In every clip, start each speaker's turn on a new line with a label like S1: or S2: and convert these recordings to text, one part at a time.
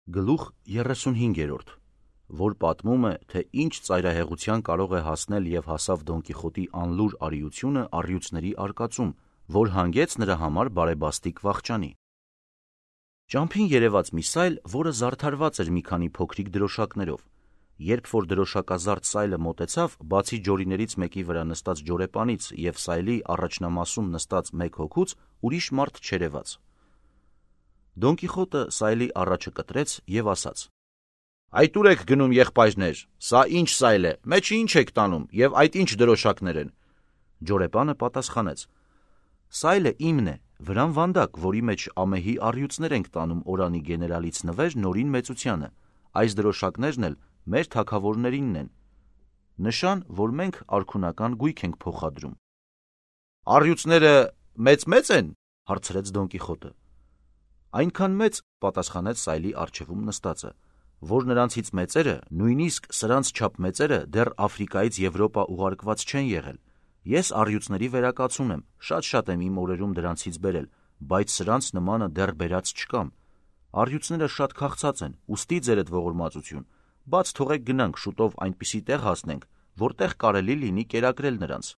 S1: Գլուխ 35, որ պատմում է, թե ինչ ծայրահեղության կարող է հասնել և հասավ Դոն Կիխոտի անլուր արիությունը առյուծների արկածում, որ հանգեց նրա համար բարեբաստիկ վախճանի։ Ճամփին երևաց մի սայլ, որը զարդարված էր մի քանի փոքրիկ դրոշակներով։ Երբ որ դրոշակազարդ սայլը մոտեցավ, բացի ջորիներից մեկի վրա նստած ջորեպանից և սայլի առաջնամասում նստած մեկ հոգուց, ուրիշ մարդ չերևաց։ Դոն Կիխոտը սայլի առաջը կտրեց և ասաց. «Այդ ուր եք գնում, եղբայրներ, սա ինչ սայլ է, մեջը ինչ եք տանում, և այդ ինչ դրոշակներ են»։ Ջորեպանը պատասխանեց. «Սայլը իմն է, վրան վանդակ, որի մեջ ամեհի առյուծներ ենք տանում օրանի գեներալից նվեր Նորին մեծությանը, այս դրոշակներն էլ մեր թագավորներինն են, նշան, որ մենք արքունական գույք ենք փոխադրում»։ «Առյուծները մեծ են», հարցրեց Դոն Կիխոտը։ «Այնքան մեծ», պատասխանեց սայլի առջևում նստածը, «որ նրանցից մեծերը, նույնիսկ սրանց չափ մեծերը դեռ Աֆրիկայից Եվրոպա ուղարկված չեն եղել։ Ես առյուծների վերակացուն եմ, շատ եմ իմ օրերում դրանցից բերել, բայց սրանց նմանը դեռ բերած չկամ։ Առյուծները շատ քաղցած են, ուստի ձերդ ողորմածություն, բաց թողեք գնանք, շուտով այնպիսի տեղ հասնենք, որտեղ կարելի լինի կերակրել նրանց»։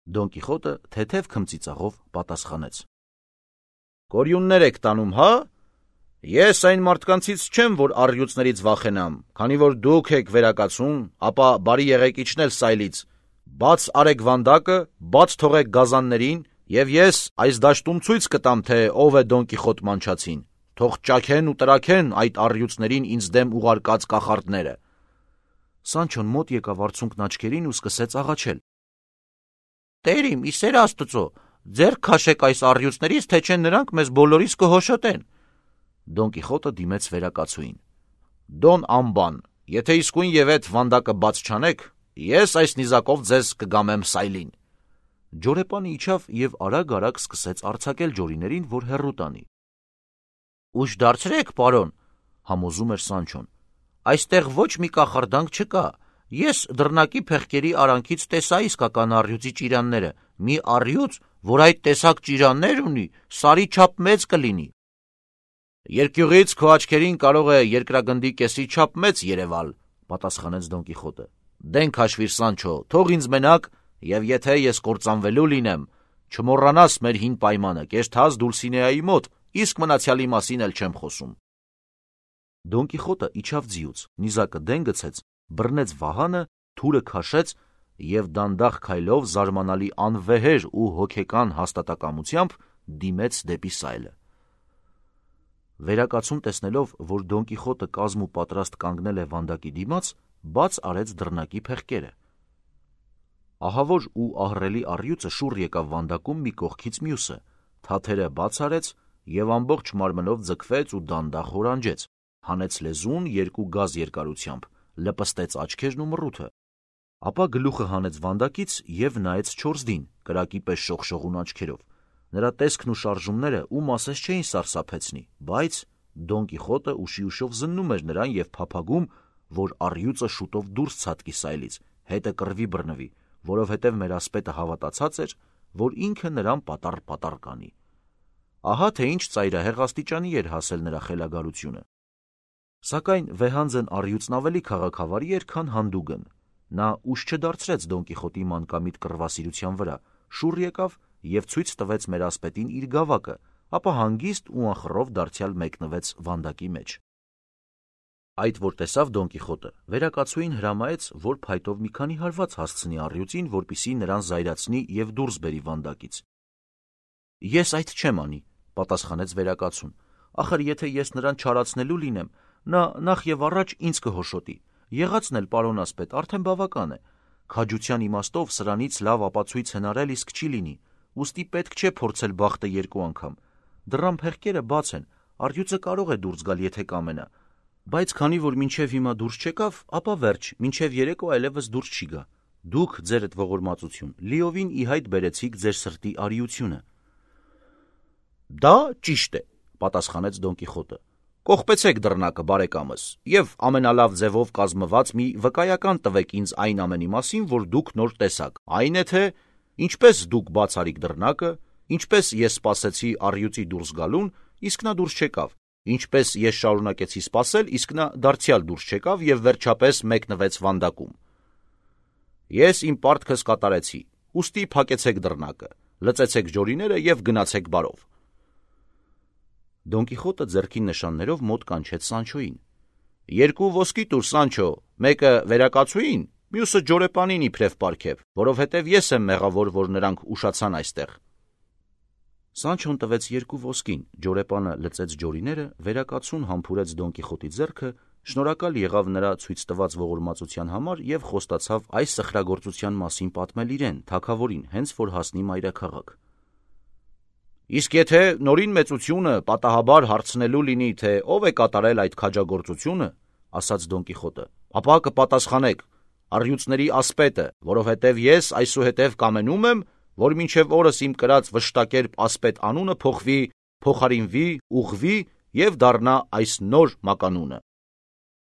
S1: Դոն Կիխոտը թեթև քմծիծաղով պատասխանեց. «Կորյուններ եք տանում, հա՞։ Ես այն մարդկանցից չեմ, որ առյուծներից վախենամ, քանի որ դուք եք վերակացուն, ապա բարի եղեք իջնել սայլից, բաց արեք վանդակը, բաց թողեք գազաններին, և ես այս դաշտում ցույց կտամ, թե ով է Դոն Կիխոտ մանչածին, թող ճաքեն ու տրաքեն այդ առյուծներին ինձ դեմ ուղարկած կախարդները»։ Սանչոն մոտ եկավ արցունքն աչքերին ու սկսեց աղաչել. «Տեր իմ, ի սեր Աստծո, ձեռք քաշեք այս առյուծներից, թե չէ նրանք մեզ բոլորիս կհոշոտեն»։ Դոն Կիխոտը դիմեց վերակացուին. «Դոն ամբան, եթե իսկույն էդ վանդակը բաց չանեք, ես այս նիզակով ձեզ կգամեմ սայլին»։ Ջորեպանը իջավ և արագ սկսեց արձակել ջորիներին, որ հեռու տանի։ «Ուշ դարձրեք, պարոն», համոզում էր Սանչոն, «այստեղ ոչ մի կախարդանք չկա։ Ես դռնակի փեղկերի արանքից տեսա իսկական առյուծի ճիրանները, մի առյուծ, որ այդ տեսակ ճիրաններ ունի, սարի չափ մեծ կլինի»։ «Երկյուղից քո աչքերին կարող է երկրագնդի կեսի չափ մեծ երևալ», պատասխանեց Դոն Կիխոտը։ «Դեն քաշվիր, Սանչո, թող ինձ մենակ, և եթե ես կործանվելու լինեմ, չմոռանաս մեր հին պայմանը, կեշթած Դուլսինեայի մոտ, իսկ մնացյալի մասին էլ չեմ խոսում»։ Դոն Կիխոտը իջավ ձիուց, նիզակը դեն գցեց, բռնեց վահանը, թուրը քաշեց և դանդաղ քայլով զարմանալի անվեհեր ու հոգեկան հաստատակամությամբ դիմեց դեպի սայլը։ Վերակացուն տեսնելով, որ Դոն Կիխոտը կազմ ու պատրաստ կանգնել է վանդակի դիմաց, բաց արեց դռնակի փեղկերը։ Ահավոր ու ահռելի առյուծը շուռ եկավ վանդակում մի կողքից մյուսը, թաթերը բաց արեց և ամբողջ մարմնով ձգվեց ու դանդաղ հորանջեց, հանեց լեզուն երկու գազ երկարությամբ, լպստեց աչքերն ու մռութը, ապա գլուխը հանեց վանդակից և նայեց չորսդին, կրակի պես շողշողուն աչքերով։ Նրա տեսքն ու շարժումները ում ասես չէին սարսափեցնի, բայց Դոն Կիխոտը ուշիուշով զննում էր նրան և փափագում, որ առյուծը շուտով դուրս ցատկի սայլից, հետը կռվի բռնվի, որովհետև մեր ասպետը հավատացած էր, որ ինքը նրան պատառ կանի։ Ահա թե ինչ ծայրահեղ աստիճանի էր հասել նրա խելագարությունը։ Սակայն վեհանձն առյուծն ավելի քաղաքավարի էր, քան հանդուգն։ Նա ուշ չդարձրեց Դոն Կիխոտի մանկամիտ կռվասիրության վրա, շուռ եկավ և ցույց տվեց մեր ասպետին իր գավակը, ապա հանգիստ ու անխռով դարձյալ մեկնվեց վանդակի մեջ։ Այդ որ տեսավ Դոն Կիխոտը, վերակացուին հրամայեց, որ փայտով մի քանի հարված հասցնի առյուծին, որպեսզի նրան զայրացնի և դուրս բերի վանդակից։ «Ես այդ չեմ անի», պատասխանեց վերակացուն, «ախր եթե ես նրան չարացնելու լինեմ, նա նախ և առաջ ինձ կհոշոտի։ Եղածն էլ, պարոն ասպետ, արդեն բավական է։ Քաջության իմաստով սրանից լավ ապացույց հնարել իսկ չի լինի, ուստի պետք չէ փորձել բախտը երկու անգամ։ Դռան փեղկերը բաց են, առյուծը կարող է դուրս գալ, եթե կամենա, բայց քանի որ մինչև հիմա դուրս չեկավ, ապա վերջ, մինչև երեկո այլևս դուրս չի գա։ Դուք, ձերդ ողորմածություն, լիովին ի հայտ բերեցիք ձեր սրտի արիությունը»։ «Դա ճիշտ է», պատասխանեց Դոն Կիխոտը։ «Կողպեցեք դռնակը, բարեկամս, և ամենալավ ձևով կազմված մի վկայական տվեք ինձ այն ամենի մասին, որ դուք նոր տեսաք, այն է թե ինչպես դուք բաց արիք դռնակը, ինչպես ես սպասեցի առյուծի դուրս գալուն, իսկ նա դուրս չեկավ, Ինչպես ես շարունակեցի սպասել, իսկ նա դարձյալ դուրս չեկավ և վերջապես մեկնվեց վանդակում։ Ես իմ պարտքս կատարեցի, ուստի փակեցեք դռնակը, լծեցեք ջորիները և գնացեք բարով։ Դոն Կիխոտը ձեռքին նշաններով մոտ կանչեց Սանչոյին։ Երկու ոսկի տուր, Սանչո, մեկը վերակացուին, մյուսը ջորեպանին իբրև պարգև, որովհետև ես եմ մեղավոր, որ նրանք ուշացան այստեղ։ Սանչոն տվեց երկու ոսկին, ջորեպանը լծեց ջորիները, վերակացուն համբուրեց Դոն Կիխոտի ձեռքը, շնորհակալ եղավ նրա ցույց տված ողորմածության համար և խոստացավ այս սխրագործության մասին պատմել իրեն, թագավորին, հենց որ հասնի մայրաքաղաք։ Իսկ եթե նորին մեծությունը պատահաբար հարցնելու լինի, թե ով է կատարել այդ քաջագործությունը, ասաց Դոն Կիխոտը, ապա կպատասխանեք, առյուծների ասպետը, որովհետև ես այսուհետև կամենում եմ, որ մինչև օրս իմ կրած վշտակերպ ասպետ անունը փոխվի, փոխարինվի, ուղղվի և դառնա այս նոր մականունը։